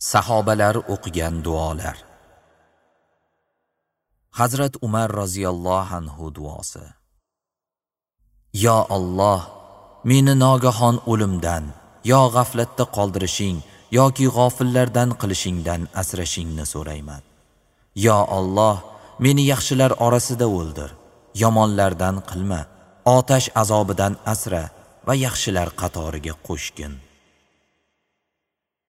Sahobalar o'qigan duolar. Hazrat Umar roziyallohu anhu duosi. Yo Alloh, meni nogahon o'limdan, yo g'aflatda qoldirishing yoki g'ofillardan qilishingdan asrashingni so'rayman. Yo Alloh, meni yaxshilar orasida o'ldir, yomonlardan qilma, otash azobidan asra va yaxshilar qatoriga qo'shgin.